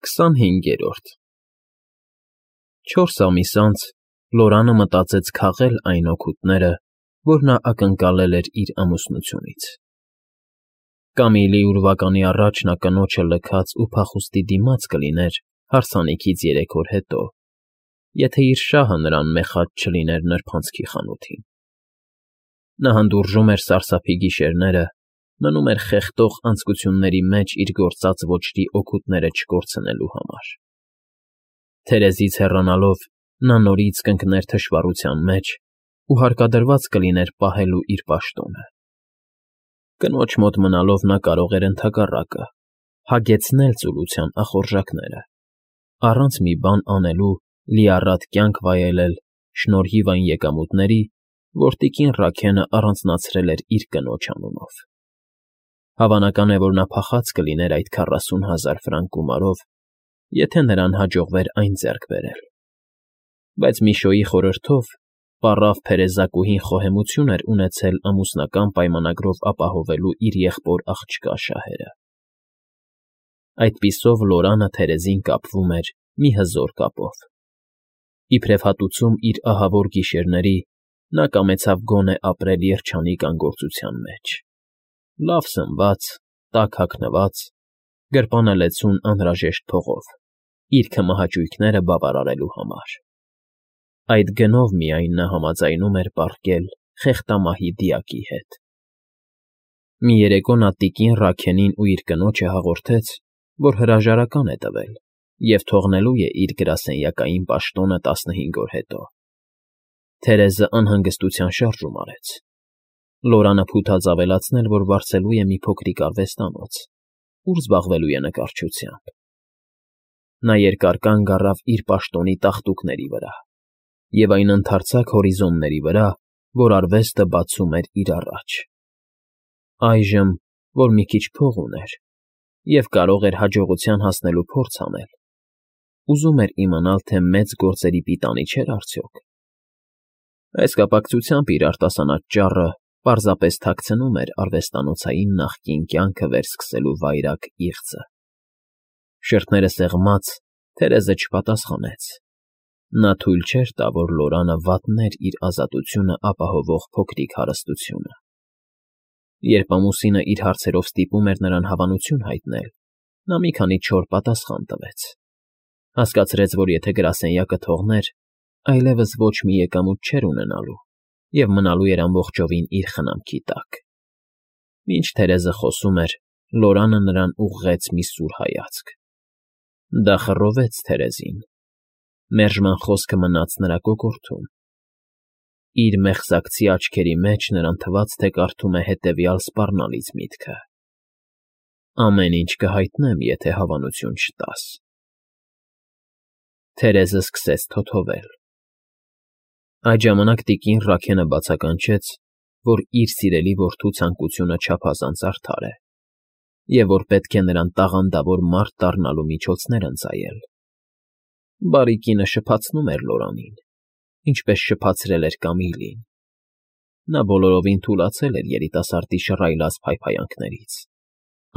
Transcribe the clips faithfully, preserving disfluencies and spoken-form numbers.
Քսանհինգերորդ Չորս ամիս անց Լորանը մտածեց քաղել այն օգուտները, որ նա ակնկալել էր իր ամուսնությունից. կամ իլի ուրվականի առաջ նա կնոջը լքած ու փախուստի դիմաց կլիներ հարսանիքից երեք օր հետո, եթե իր շահը նրան մեխած չլիներ նրբանցքի խանութին. նա հանդուրժում էր սարսափի գիշերները, մնում էր խեղդող անձկությունների մեջ իր գործած ոճրի օգուտները չկորցնելու համար. թերեզից հեռանալով նա նորից կընկներ թշվառության մեջ ու հարկադրված կլիներ պահելու իր պաշտոնը. կնոջ մոտ մնալով նա կարող էր ընդհակառակը հագեցնել ծուլության ախորժակները, առանց մի բան անելու լիառատ կյանք վայելել շնորհիվ այն եկամուտների, որ տիկին Ռաքենը առանձնացրել էր իր կնոջ անունով. հավանական է, որ նա փախած կլիներ այդ քառասուն հազար ֆրանկ գումարով, եթե նրան հաջողվեր այն ձեռք բերել, բայց Միշոյի խորհրդով պառավ փերեզակուհին խոհեմություն էր ունեցել ամուսնական պայմանագրով ապահովելու իր եղբոր աղջկա շահերը. Այդպիսով Լորանը թերեզին կապվում էր մի հզոր կապով. իբրև հատուցում իր ահավոր գիշերների, նա կամեցավ գոնե ապրել երջանիկ անգործության մեջ, լավ սնված, տաք հագնված, գրպանելեցուն անհրաժեշտ փողով, իր քմահաճույքները բավարարելու համար. այդ գնով միայն նա համաձայնում էր պառկել խեղտամահի դիակի հետ. Մի երեկո նա տիկին Ռաքենին ու իր կնոջը հաղորդեց, որ հրաժարական է տվել և թողնելու է իր գրասենյակային պաշտոնը տասնհինգ օր հետո. Թերեզը անհանգստության շարժում արեց. Լորանը փութաց ավելացնել, որ վարձելու է մի փոքրիկ արվեստանոց, ուր զբաղվելու է նկարչությամբ. նա երկար կանգ առավ իր պաշտոնի տախտուկների վրա և այն ընդարձակ հորիզոնների վրա, որ արվեստը բացում էր իր առաջ. այժմ, որ մի քիչ փող ուներ և կարող էր հաջողության հասնելու փորձ անել, ուզում էր իմանալ, թե մեծ գործերի պիտանի չէր արդյոք. այս կապակցությամբ իր արտասանած ճառը պարզապես թաքցնում էր արվեստանոցային նախկին կյանքը վերսկսելու վայրագ իղձը. Շրթները սեղմած, Թերեզը չպատասխանեց. նա թույլ չէր տա, որ Լորանը վատներ իր ազատությունը ապահովող փոքրիկ հարստությունը. Երբ ամուսինը իր հարցերով ստիպում էր նրան հավանություն հայտնել, նա մի քանի չոր պատասխան տվեց. հասկացրեց, որ եթե գրասենյակը թողներ, այլևս ոչ մի եկամուտ չէր ունենալու և մնալու էր ամբողջովին իր խնամքի տակ. Մինչ Թերեզը խոսում էր, Լորանը նրան ուղղեց մի սուր հայացք. դա խռովեց Թերեզին. մերժման խոսքը մնաց նրա կոկորդում. իր մեղսակցի աչքերի մեջ նրան թվաց, թե կարդում է հետևյալ սպառնալից միտքը. ամեն ինչ կհայտնեմ, եթե հավանություն չտաս. Թերեզը սկսեց թոթովել. Այդ ժամանակ տիկին Ռաքենը բացականչեց, որ իր սիրելի որդու ցանկությունը չափազանց արդար է և որ պետք է նրան տաղանդավոր մարդ դառնալու միջոցներ ընծայել. բարի կինը շփացնում էր Լորանին, ինչպես շփացրել էր Կամիլին. նա բոլորովին թուլացել էր երիտասարդի շռայլած փայփայանքներից,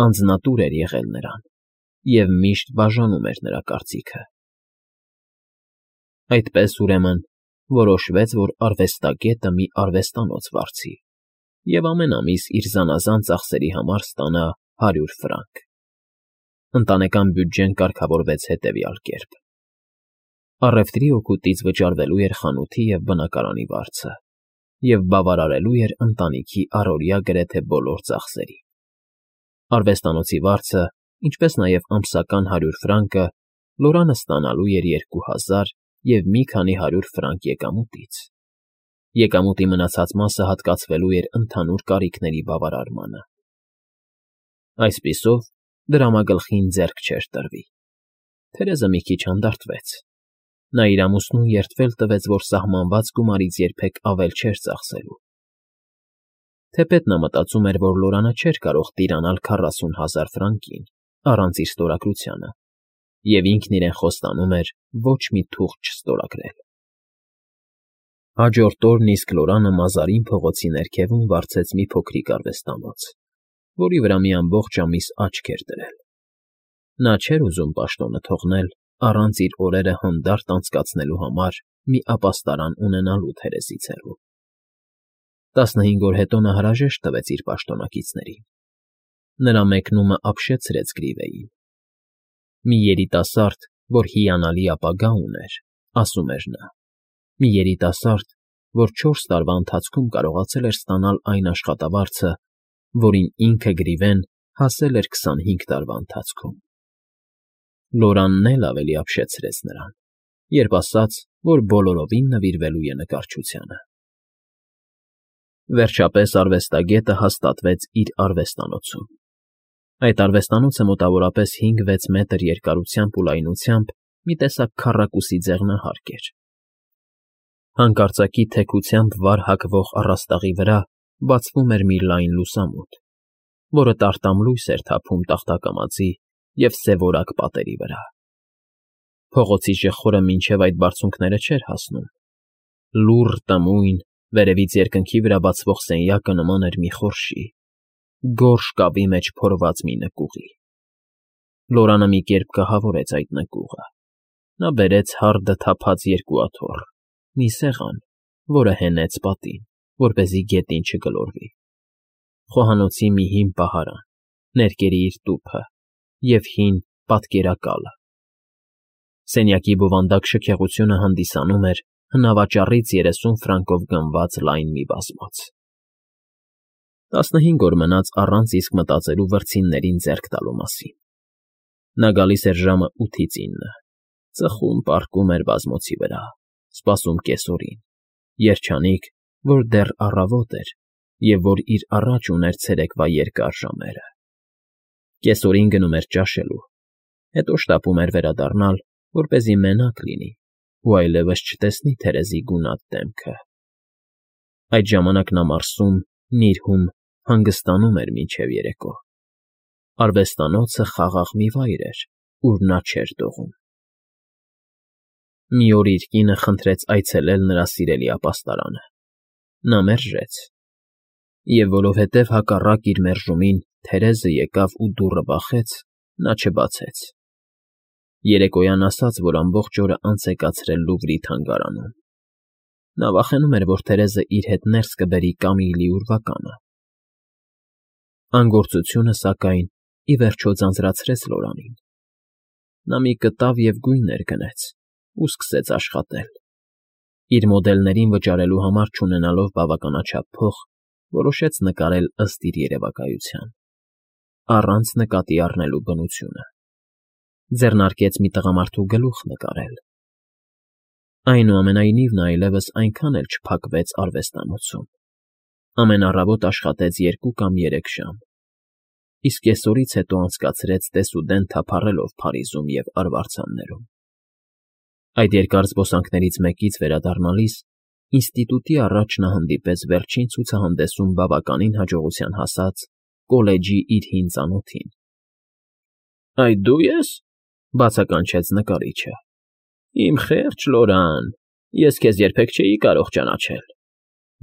անձնատուր էր եղել նրան և միշտ բաժանում էր նրա կարծիքը. Այդպես, ուրեմն, որոշվեց, որ արվեստագետը մի արվեստանոց վարձի և ամեն ամիս իր զանազան ծախսերի համար ստանա հարյուր ֆրանկ. Ընտանեկան բյուջեն կարգավորվեց հետևյալ կերպ. առևտրի օգուտից վճարվելու էր խանութի և բնակարանի վարձը և բավարարելու էր ընտանիքի առօրյա գրեթե բոլոր ծախսերի. արվեստանոցի վարձը, ինչպես նաև ամսական հարյուր ֆրանկը Լորանը ստանալու էր երկու հազար և մի քանի հարյուր ֆրանկ եկամուտից. եկամուտի մնացած մասը հատկացվելու էր ընդհանուր կարիքների բավարարմանը. Այսպիսով, դրամագլխին ձեռք չէր տրվի. Թերեզը մի քիչ հանդարտվեց. նա իր ամուսնուն երդվել տվեց, որ սահմանված գումարից երբեք ավել չէր ծախսելու. Թեպետ նա մտածում էր, որ Լորանը չէր կարող տիրանալ քառասուն հազար ֆրանկին առանց իր ստորագրությանը և ինքն իրեն խոստանում էր ոչ մի թուղթ չստորագրել. Հաջորդ օրն իսկ Լորանը Մազարին փողոցի ներքևում վարձեց մի փոքրիկ արվեստանոց, որի վրա մի ամբողջ ամիս աչք էր դրել. Նա չէր ուզում պաշտոնը թողնել առանց իր օրերը հանդարտ անցկացնելու համար մի ապաստարան ունենալու Թերեզից հեռու։ Տասնհինգ օր հետո նա հրաժեշտ տվեց իր պաշտոնակիցներին։ Նրա մեկնումը ապշեցրեց Գրիվեյին։ Մի երիտասարդ, որ հիանալի ապագա ուներ, ասում էր նա, մի երիտասարդ, որ չորս տարվա ընթացքում կարողացել էր ստանալ այն աշխատավարձը, որին ինքը Գրիվեն հասել էր քսանհինգ տարվա ընթացքում։ Լորանն էլ ավելի ապշեցրեց նրան, երբ ասաց, որ բոլորովին նվիրվելու է նկարչությանը։ Վերջապես արվեստագետը հաստատվեց իր արվեստանոցում։ Այդ արվեստանոցը մոտավորապես հինգ֊վեց մետր երկարությամբ ու լայնությամբ մի տեսակ քառակուսի ձեղնահարկ էր։ Հանկարծակի թեքությամբ վար հագվող առաստաղի վրա բացվում էր մի լայն լուսամուտ, որը տարտամ լույս էր թափում տախտակամածի և սևորակ պատերի վրա։ Փողոցի ժխորը մինչև այդ բարձունքները չէր հասնում։ Լուռ տմույն, վերևից երկնքի վրա բացվող սենյակը նման էր մի խորշի, գորշ կավի մեջ փորված մի նկուղի։ Լորանը մի կերպ կահավորեց այդ նկուղը։ Նա բերեց հարդը թափած երկու աթոռ, մի սեղան, որը հենեց պատին, որպեսզի գետին չգլորվի, խոհանոցի մի հին պահարան, ներկերի իր տուփը և հին պատկերակալը։ Սենյակի բովանդակ շքեղությունը հանդիսանում էր հնավաճառից երեսուն ֆրանկով գնված լայն մի բազմոց։ Տասնհինգ օր մնաց առանց իսկ մտածելու վրձիններին ձեռք տալու մասին։ Նա գալիս էր ժամը ութից ինը, ծխում պառկում էր բազմոցի վրա, սպասում կեսօրին, երջանիկ, որ դեռ առավոտ էր և որ իր առաջ ուներ ցերեկվա երկար ժամերը։ Կեսօրին գնում էր ճաշելու, հետո շտապում էր վերադառնալ, որպեսզի մենակ լինի ու այլևս չտեսնի Թերեզի գունատ դեմքը։ Այդ ժամանակ նա մարսում, նիրհում, հանգստանում էր մինչև երեկո։ Արվեստանոցը խաղաղ մի վայր էր, ուր նա չէր դողում։ Մի օր իր կինը խնդրեց այցելել նրա սիրելի ապաստարանը։ Նա մերժեց։ Եվ որովհետև հակառակ իր մերժումին Թերեզը եկավ ու դուռը բախեց, նա չբացեց։ Երեկոյան ասաց, որ ամբողջ օրը անց է կացրել Լուվրի թանգարանում։ Նա վախենում էր, որ Թերեզը իր հետ ներս կբերի Կամիլի ուրվականը։ Անգործությունը, սակայն, ի վերջո ձանձրացրեց Լորանին։ Նա մի կտավ և գույներ գնեց ու սկսեց աշխատել։ Իր մոդելներին վճարելու համար չունենալով բավականաչափ փող, որոշեց նկարել ըստ իր երևակայության, առանց նկատի առնելու բնությունը։ Ձեռնարկեց մի տղամարդու գլուխ նկարել։ Այնուամենայնիվ նա այլևս այնքան էլ չփակվեց արվեստանոցում։ Ամեն առավոտ աշխատեց երկու կամ երեք ժամ, իսկ կեսօրից հետո անցկացրեց դեսուդեն թափառելով Փարիզում և արվարձաններում։ Այդ երկար զբոսանքներից մեկից վերադառնալիս ինստիտուտի առաջ նա հանդիպեց վերջին ցուցահանդեսում բավականին հաջողության հասած կոլեջի իր հին ծանոթին։ ֊ Այդ դու ես,֊ բացականչեց նկարիչը։ ֊ Իմ խեղճ Լորան, ես քեզ երբեք չէի կարող ճանաչել։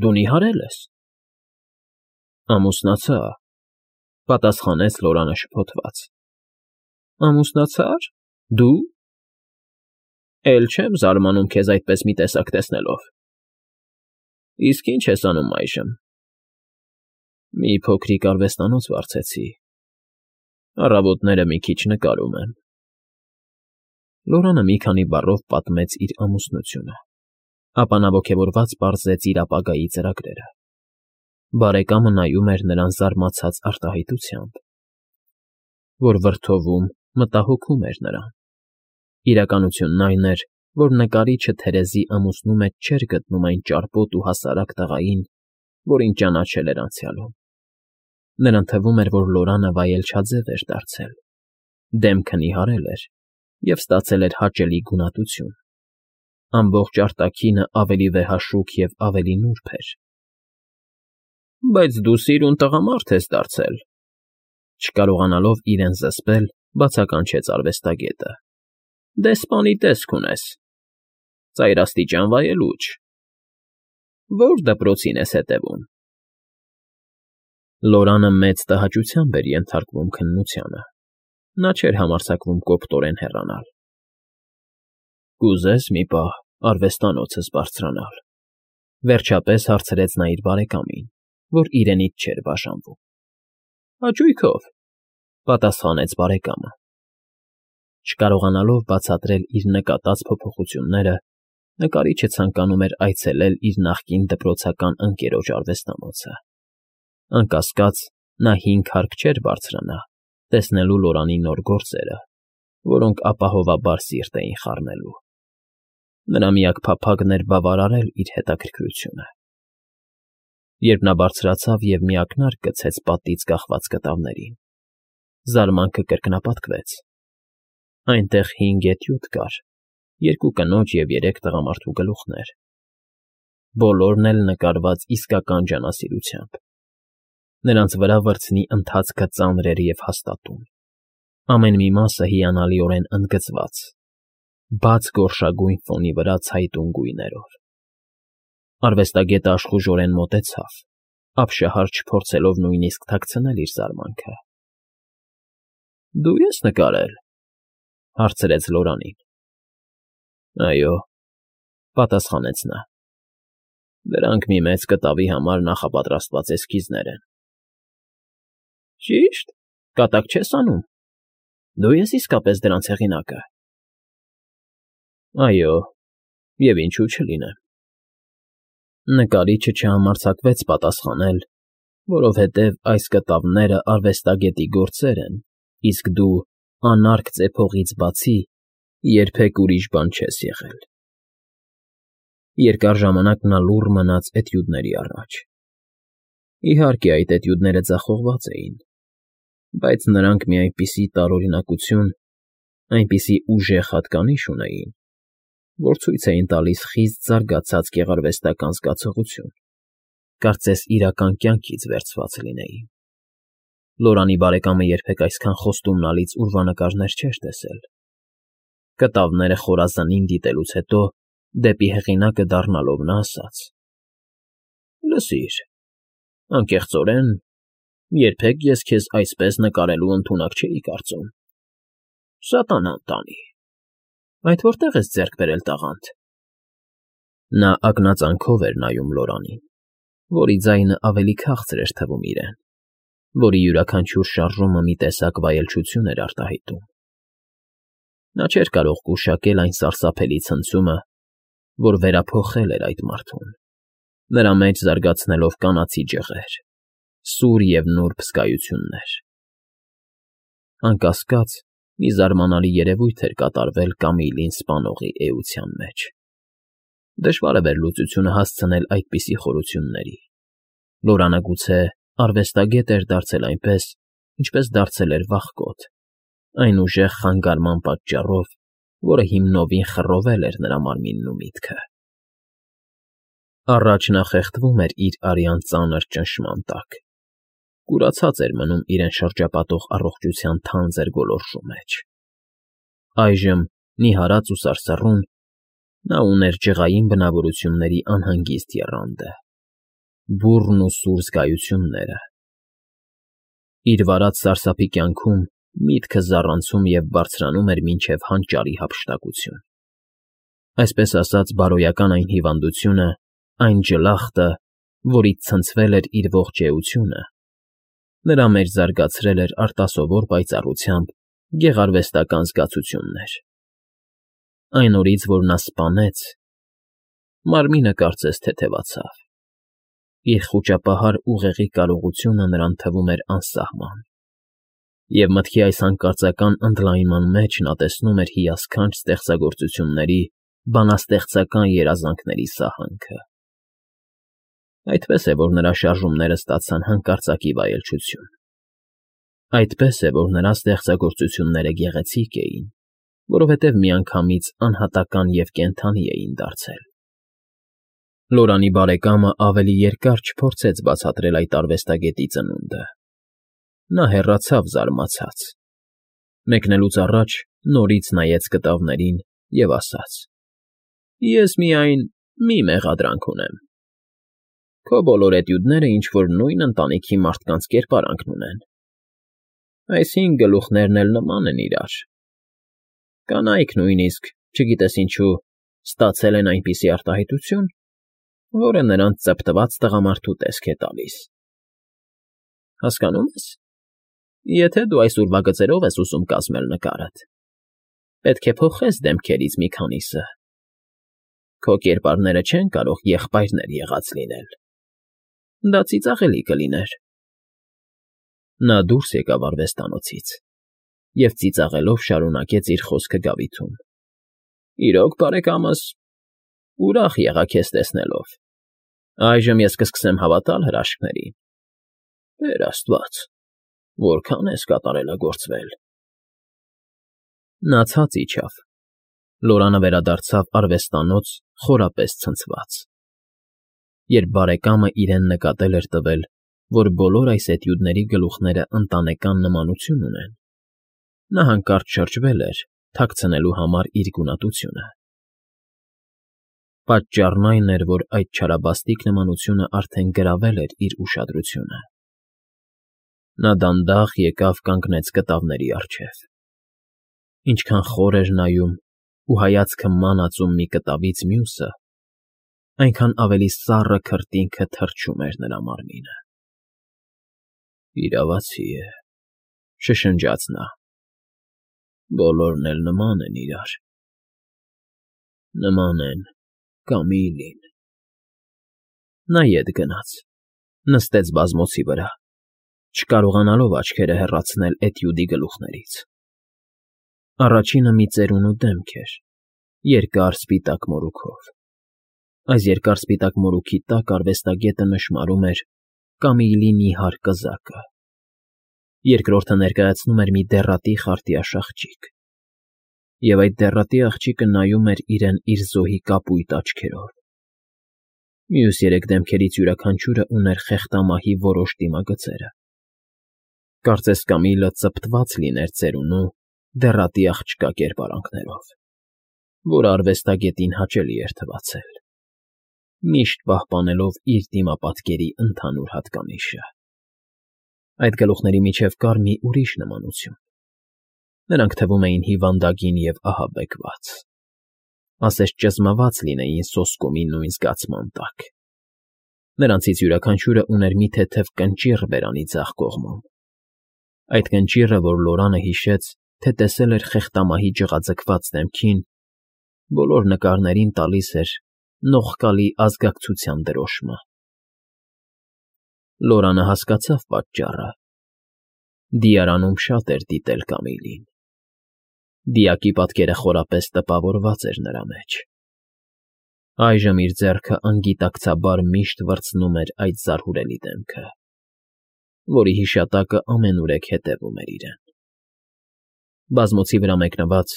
Դու նիհարել ես։ ֊ Ամուսնացա,֊ պատասխանեց Լորանը շփոթված։ ֊ Ամուսնացա՞ր… Դու… Էլ չեմ զարմանում քեզ այդպես մի տեսակ տեսնելով։ Իսկ ի՞նչ ես անում այժմ։ ֊ Մի փոքրիկ արվեստանոց վարձեցի։ Առավոտները մի քիչ նկարում եմ։ Լորանը մի քանի բառով պատմեց իր ամուսնությունը, ապա նա ոգևորված պարզեց իր ապագայի ծրագրերը։ Բարեկամը նայում էր նրան զարմացած արտահայտությամբ, որ վրդովում, մտահոգում էր նրան։ Իրականությունն այն էր, որ նկարիչը Թերեզի ամուսնու մեջ չէր գտնում այն ճարպոտ ու հասարակ տղային, որին ճանաչել էր անցյալում։ Նրան թվում էր, որ Լորանը վայելչաձև էր դարձել, դեմքը նիհարել էր և ստացել էր հաճելի գունատություն։ Ամբողջ արտաքինը ավելի վեհաշուք և ավելի նուրբ էր։ ֊ Բայց դու սիրուն տղամարդ ես դարձել,֊ չկարողանալով իրեն զսպել, բացականչեց արվեստագետը։ ֊ Դեսպանի տեսք ունես, ծայրաստիճան վայելուչ… Ո՞ր դպրոցին ես հետևում։ Լորանը մեծ տհաճությամբ էր ենթարկվում քննությանը, Նա չէր համարձակվում կոպտորեն հեռանալ։ «Կուզե՞ս մի պահ արվեստանոցս բարձրանալ,֊ վերջապես հարցրեց նա իր բարեկամին, որ իրենից չէր բաժանվում։ «Հաճույքով,֊ պատասխանեց բարեկամը։ Չկարողանալով բացատրել իր նկատած փոփոխությունները, նկարիչը ցանկանում էր այցելել իր նախկին դպրոցական ընկերոջ արվեստանոցը։ Անկասկած, նա հինգ հարկ չէր բարձրանա, տեսնելու Լորանի նոր գործերը, որոնք ապահովաբար սիրտ էին խառնելու։ Նրա միակ փափագն էր բավարարել իր հետաքրքրությունը։ Երբ նա բարձրացավ և մի ակնարկ գցեց պատից կախված կտավներին, զարմանքը կրկնապատկվեց։ Այնտեղ հինգ էտյուդ կար, երկու կնոջ և երեք տղամարդու գլուխներ, բոլորն էլ նկարված իսկական ջանասիրությամբ։ Նրանց վրա վրձնի ընթացքը ծանր էր և հաստատուն, ամեն մի մասը հիանալիորեն ընդգծված, բաց գորշագույն ֆոնի վրա ցայտուն գույներով։ Արվեստագետը աշխուժորեն մոտեցավ, ապշահար չփորձելով նույնիսկ թաքցնել իր զարմանքը։ ֊ Դու ե՞ս նկարել,֊ հարցրեց Լորանին։ ֊ Այո,֊ պատասխանեց նա։ Դրանք մի մեծ կտավի համար նախապատրաստված էսքիզներ են։ ֊ Ճի՞շտ, կատակ չես անում։ Դու ես իսկապես դրանց հեղինակը։ ֊ Այո, և ինչու չլինեմ։ Նկարիչը չհամարձակվեց պատասխանել, որովհետև այս կտավները արվեստագետի գործեր են, իսկ դու, անարգ ծեփողից բացի, երբեք ուրիշ բան չես եղել։ Երկար ժամանակ նա լուռ մնաց էտյուդների առաջ։ Իհարկե, այդ էտյուդները ձախողված էին, բայց նրանք մի այնպիսի տարօրինակություն, այնպիսի ուժեղ հատկանիշ ունեին, որ ցույց էին տալիս խիստ զարգացած գեղարվեստական զգացողություն, կարծես իրական կյանքից վերցված լինեին։ Լորանի բարեկամը երբեք այսքան խոստումնալից ուրվանկարներ չէր տեսել։ Կտավները խորազնին դիտելուց հետո, դեպի հեղինակը դառնալով նա ասաց. ֊ Լսիր, անկեղծորեն, երբեք ես քեզ այսպես նկարելու ընդունակ չէի կարծում։ Սատանան տանի, այդ որտե՞ղ ես ձեռք բերել տաղանդ։ Նա ակնածանքով էր նայում Լորանին, որի ձայնը ավելի քաղցր էր թվում իրեն, որի յուրաքանչյուր շարժումը մի տեսակ վայելչություն էր արտահայտում։ Նա չէր կարող գուշակել այն սարսափելի ցնցումը, որ վերափոխել էր այդ մարդուն, նրա մեջ զարգացնելով կանացի ջղեր, սուր և նուրբ զգայություններ։ Անկասկած, մի զարմանալի երևույթ էր կատարվել Կամիլին սպանողի էության մեջ։ Դժվար է վերլուծությունը հասցնել այդպիսի խորությունների։ Լորանը գուցե արվեստագետ էր դարձել այնպես, ինչպես դարձել էր վախկոտ, այն ուժեղ խանգարման պատճառով, որը հիմնովին խռովել էր նրա մարմինն ու միտքը։ Առաջ նա խեղդվում էր իր արյան ծանր ճնշման տակ, կուրացած էր մնում իրեն շրջապատող առողջության թանձր գոլորշու մեջ։ Այժմ, նիհարած ու սարսռուն, նա ուներ ջղային բնավորությունների անհանգիստ եռանդը, բուռն ու սուր զգայությունները։ Իր վարած սարսափի կյանքում միտքը զառանցում և բարձրանում էր մինչև հանճարի հափշտակություն։ Այսպես ասած, բարոյական այն հիվանդությունը, այն ջլախտը, որից ցնցվել էր իր ողջ էությունը, նրա մեջ զարգացրել էր արտասովոր պայծառությամբ գեղարվեստական զգացություններ։ Այն օրից, որ նա սպանեց, մարմինը կարծես թեթևացավ։ Իր խուճապահար ուղեղի կարողությունը նրան թվում էր անսահման, և մտքի այս հանկարծական ընդլայնման մեջ նա տեսնում էր հիասքանչ ստեղծագործությունների, բանաստեղծական երազանքների սահանքը։ Այդպես է, որ նրա շարժումները ստացան հանկարծակի վայելչություն։ Այդպես է, որ նրա ստեղծագործությունները գեղեցիկ էին, որովհետև միանգամից անհատական և կենդանի էին դարձել։ Լորանի բարեկամը ավելի երկար չփորձեց բացատրել այդ արվեստագետի ծնունդը։ Նա հեռացավ զարմացած։ Մեկնելուց առաջ նորից նայեց կտավներին և ասաց. ֊ Ես միայն մի մեղադրանք ունեմ. քո բոլոր էտյուդները ինչ֊որ նույն ընտանիքի մարդկանց կերպարանքն ունեն։ Այս հինգ գլուխներն էլ նման են իրար։ Կանայք նույնիսկ, չգիտես ինչու, ստացել են այնպիսի արտահայտություն, որը նրանց ծպտված տղամարդու տեսք է տալիս։ Հասկանո՞ւմ ես, եթե դու այս ուրվագծերով ես ուզում կազմել նկարդ, պետք է փոխես դեմքերից մի քանիսը, քո կերպարները չեն կարող եղբայրներ եղած լինել, դա ծիծաղելի կլիներ։ Նա դուրս եկավ արվեստանոցից և ծիծաղելով շարունակեց իր խոսքը գավիթում. Իրոք, բարեկամս, ուրախ եղա քեզ տեսնելով, այժմ ես կսկսեմ հավատալ հրաշքներին։ Տեր աստված, որքան ես կատարելագործվել… Նա ցած իջավ, Լորանը վերադարձավ արվեստանոց խորապես ցնցված։ Երբ բարեկամը իրեն նկատել էր տվել, որ բոլոր այս էտյուդների գլուխները ընտանեկան նմանություն ունեն, նա հանկարծ շրջվել էր, թաքցնելու համար իր գունատությունը։ Պատճառն այն էր, որ այդ չարաբաստիկ նմանությունը արդեն գրավել էր իր ուշադրությունը։ Նա դանդաղ եկավ կանգնեց կտավների առջև։ Ինչքան խոր էր նայում ու հայացքը մանածում մի կտավից մյուսը, այնքան ավելի սառը քրտինքը թրջում էր նրա մարմինը։ Իրավացի է, շշնջաց նա, բոլորն էլ նման են իրար, նման են Կամիլին։ Նա ետ գնաց, նստեց բազմոցի վրա, չկարողանալով աչքերը հեռացնել էտյուդի գլուխներից։ Առաջինը մի ծերունու դեմք էր, երկար սպիտակ մորուքով։ Այս երկար սպիտակ մորուքի տակ արվեստագետը նշմարում էր Կամիլի նիհար կզակը, երկրորդը ներկայացնում էր մի դեռատի խարտյաշ աղջիկ, և այդ դեռատի աղջիկը նայում էր իրեն իր զոհի կապույտ աչքերով։ Մյուս երեք դեմքերից յուրաքանչյուրը ուներ խեղտամահի որոշ դիմագծերը։ Կարծես Կամիլը ծպտված լիներ ծերունու, դեռատի աղջկա կերպարանքներով, որը արվեստագետին հաճելի էր թվացել, միշտ պահպանելով իր դիմապատկերի ընդհանուր հատկանիշը։ Այդ գլուխների միջև կար մի ուրիշ նմանություն. նրանք թվում էին հիվանդագին և ահաբեկված, ասես ճզմված լինեին սոսկումի նույն զգացման տակ։ Նրանցից յուրաքանչյուրը ուներ մի թեթև կնճիռ բերանի ձախ կողմում, այդ կնճիռը, որ Լորանը հիշեց, թե տեսել էր խեղտամահի ջղաձգված դեմքին, բոլոր նկարներին տալիս էր նողկալի ազգակցության դրոշմը։ Լորանը հասկացավ պատճառը. դիարանում շատ էր դիտել Կամիլին։ Դիակի պատկերը խորապես տպավորված էր նրա մեջ։ Այժմ իր ձեռքը անգիտակցաբար միշտ վրձնում էր այդ զարհուրելի դեմքը, որի հիշատակը ամենուրեք հետևում էր իրեն։ Բազմոցի վրա մեկնված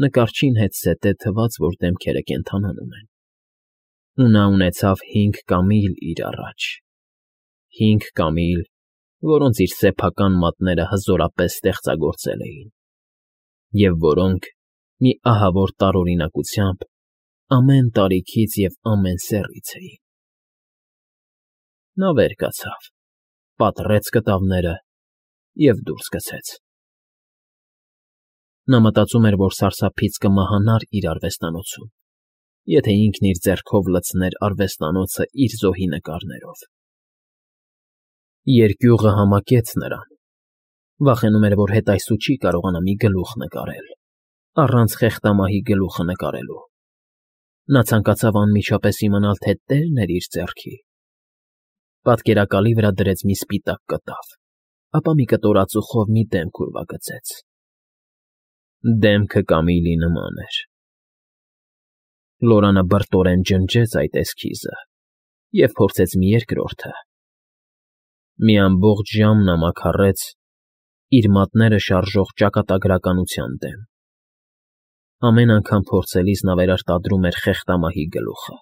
նկարչին հետզհետե թվաց, որ դեմքերը կենդանանում են, ու նա ունեցավ հինգ Կամիլ իր առաջ, հինգ Կամիլ, որոնց իր սեփական մատները հզորապես ստեղծագործել էին, և որոնք մի ահավոր տարօրինակությամբ ամեն տարիքից և ամեն սեռից էին։ Նա վեր կացավ, պատռեց կտավները և դուրս գցեց։ Նա մտածում էր, որ սարսափից կմահանար իր արվեստանոցում, եթե ինքն իր ձեռքով լցներ արվեստանոցը իր զոհի նկարներով։ Երկյուղը համակեց նրան, վախենում էր, որ հետայսու չի կարողանա մի գլուխ նկարել, առանց խեղտամահի գլուխը նկարելու։ Նա ցանկացավ անմիջապես իմանալ, թե տերն էր իր ձեռքի։ Պատկերակալի վրա դրեց մի սպիտակ կտավ, ապա մի կտորածուխով մի դեմք ուրվագծեց։ Դեմքը Կամիլի նման էր։ Լորանը բրտորեն ջնջեց այդ էսքիզը և փորձեց մի երկրորդը։ Մի ամբողջ ժամ նա մաքարեց իր մատները շարժող ճակատագրականության դեմ։ Ամեն անգամ փորձելիս նա վերարտադրում էր խեղտամահի գլուխը։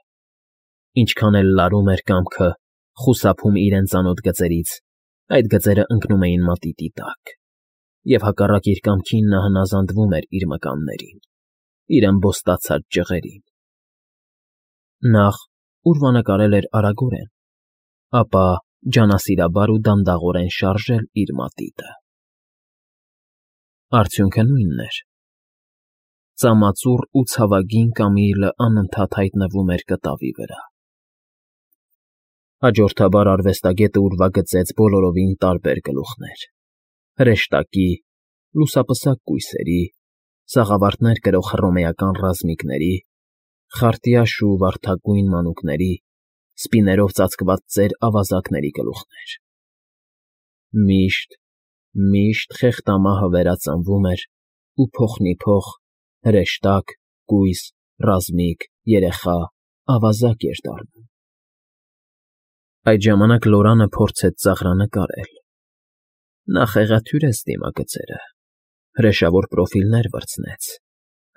Ինչքան էլ լարում էր կամքը, խուսափում իրեն ծանոթ գծերից, այդ գծերը ընկնում էին մատիտի տակ, և հակառակ իր կամքին նա հնազանդվում էր իր մկաններին, իր ըմբոստացած ջղերին։ Նախ ուրվանկարել էր արագորեն, ապա ջանասիրաբար ու դանդաղորեն շարժել իր մատիտը։ Արդյունքը նույնն էր. ծամածուռ ու ցավագին Կամիլը անընդհատ հայտնվում էր կտավի վրա։ Հաջորդաբար արվեստագետը ուրվագծեց բոլորովին տարբեր գլուխներ՝ հրեշտակի, լուսապսակ կույսերի, սաղավարտներ կրող հռոմեական ռազմիկների, խարտյաշ ու վարդագույն մանուկների, սպիներով ծածկված ծեր ավազակների գլուխներ։ Միշտ, միշտ խեղդամահը վերածնվում էր ու փոխնիփոխ հրեշտակ, կույս, ռազմիկ, երեխա, ավազակ էր դառնում։ Այդ ժամանակ Լորանը փորձեց ծաղրանկարել։ Նա խեղաթյուրեց դիմագծերը, հրեշավոր պրոֆիլներ վրձնեց,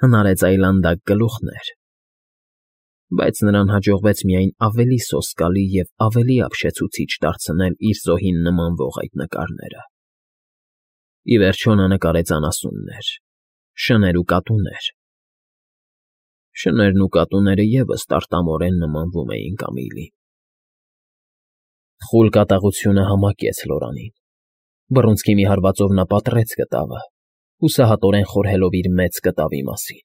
հնարեց այլանդակ գլուխներ, բայց նրան հաջողվեց միայն ավելի սոսկալի և ավելի ապշեցուցիչ դարձնել իր զոհին նմանվող այդ նկարները։ Ի վերջո նա նկարեց անասուններ, շներ ու կատուներ։ Շներն ու կատուները ևս տարտամորեն նմանվում էին Կամիլին։ Խուլ կատաղությունը համակեց Լորանին։ Բռունցքի մի հարվածով նա պատռեց կտավը, հուսահատորեն խորհելով իր մեծ կտավի մասին։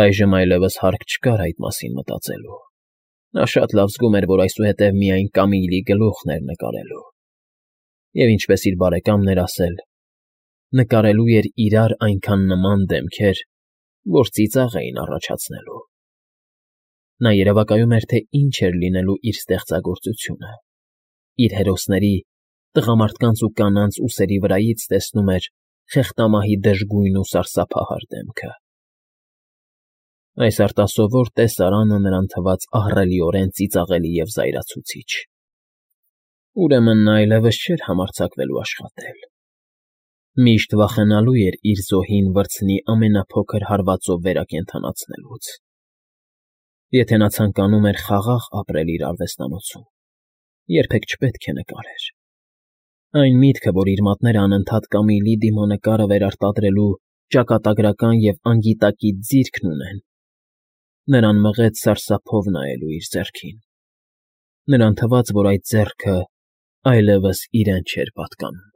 Այժմ այլևս հարկ չկար այդ մասին մտածելու։ Նա շատ լավ զգում էր, որ այսուհետև միայն Կամիլի գլուխն էր նկարելու։ Եվ ինչպես իր բարեկամն էր ասել, նկարելու էր իրար այնքան նման դեմքեր, որ ծիծաղ էին առաջացնելու։ Նա երևակայում էր, թե ինչ էր լինելու իր ստեղծագործությունը։ Իր հերոսների, տղամարդկանց ու կանանց ուսերի վրայից տեսնում էր խեղդամահի դժգույն ու սարսափահար դեմքը։ Այս արտասովոր տեսարանը նրան թվաց ահռելիորեն ծիծաղելի և զայրացուցիչ։ Ուրեմն նա այլևս չէր համարձակվելու աշխատել։ Միշտ վախենալու էր իր զոհին վրձնի ամենափոքր հարվածով վերակենդանացնելուց։ Եթե նա ցանկանում էր խաղաղ ապրել իր արվեստանոցում, երբեք չպետք է նկարեր։ Այն միտքը, որ իր մատները անընդհատ Կամիլի դիմանկարը վերարտադրելու ճակատագրական և անգիտակից ձիրքն ունեն, նրան մղեց սարսափով նայելու իր ձեռքին։ Նրան թվաց, որ այդ ձեռքը այլևս իրեն չէր պատկանում։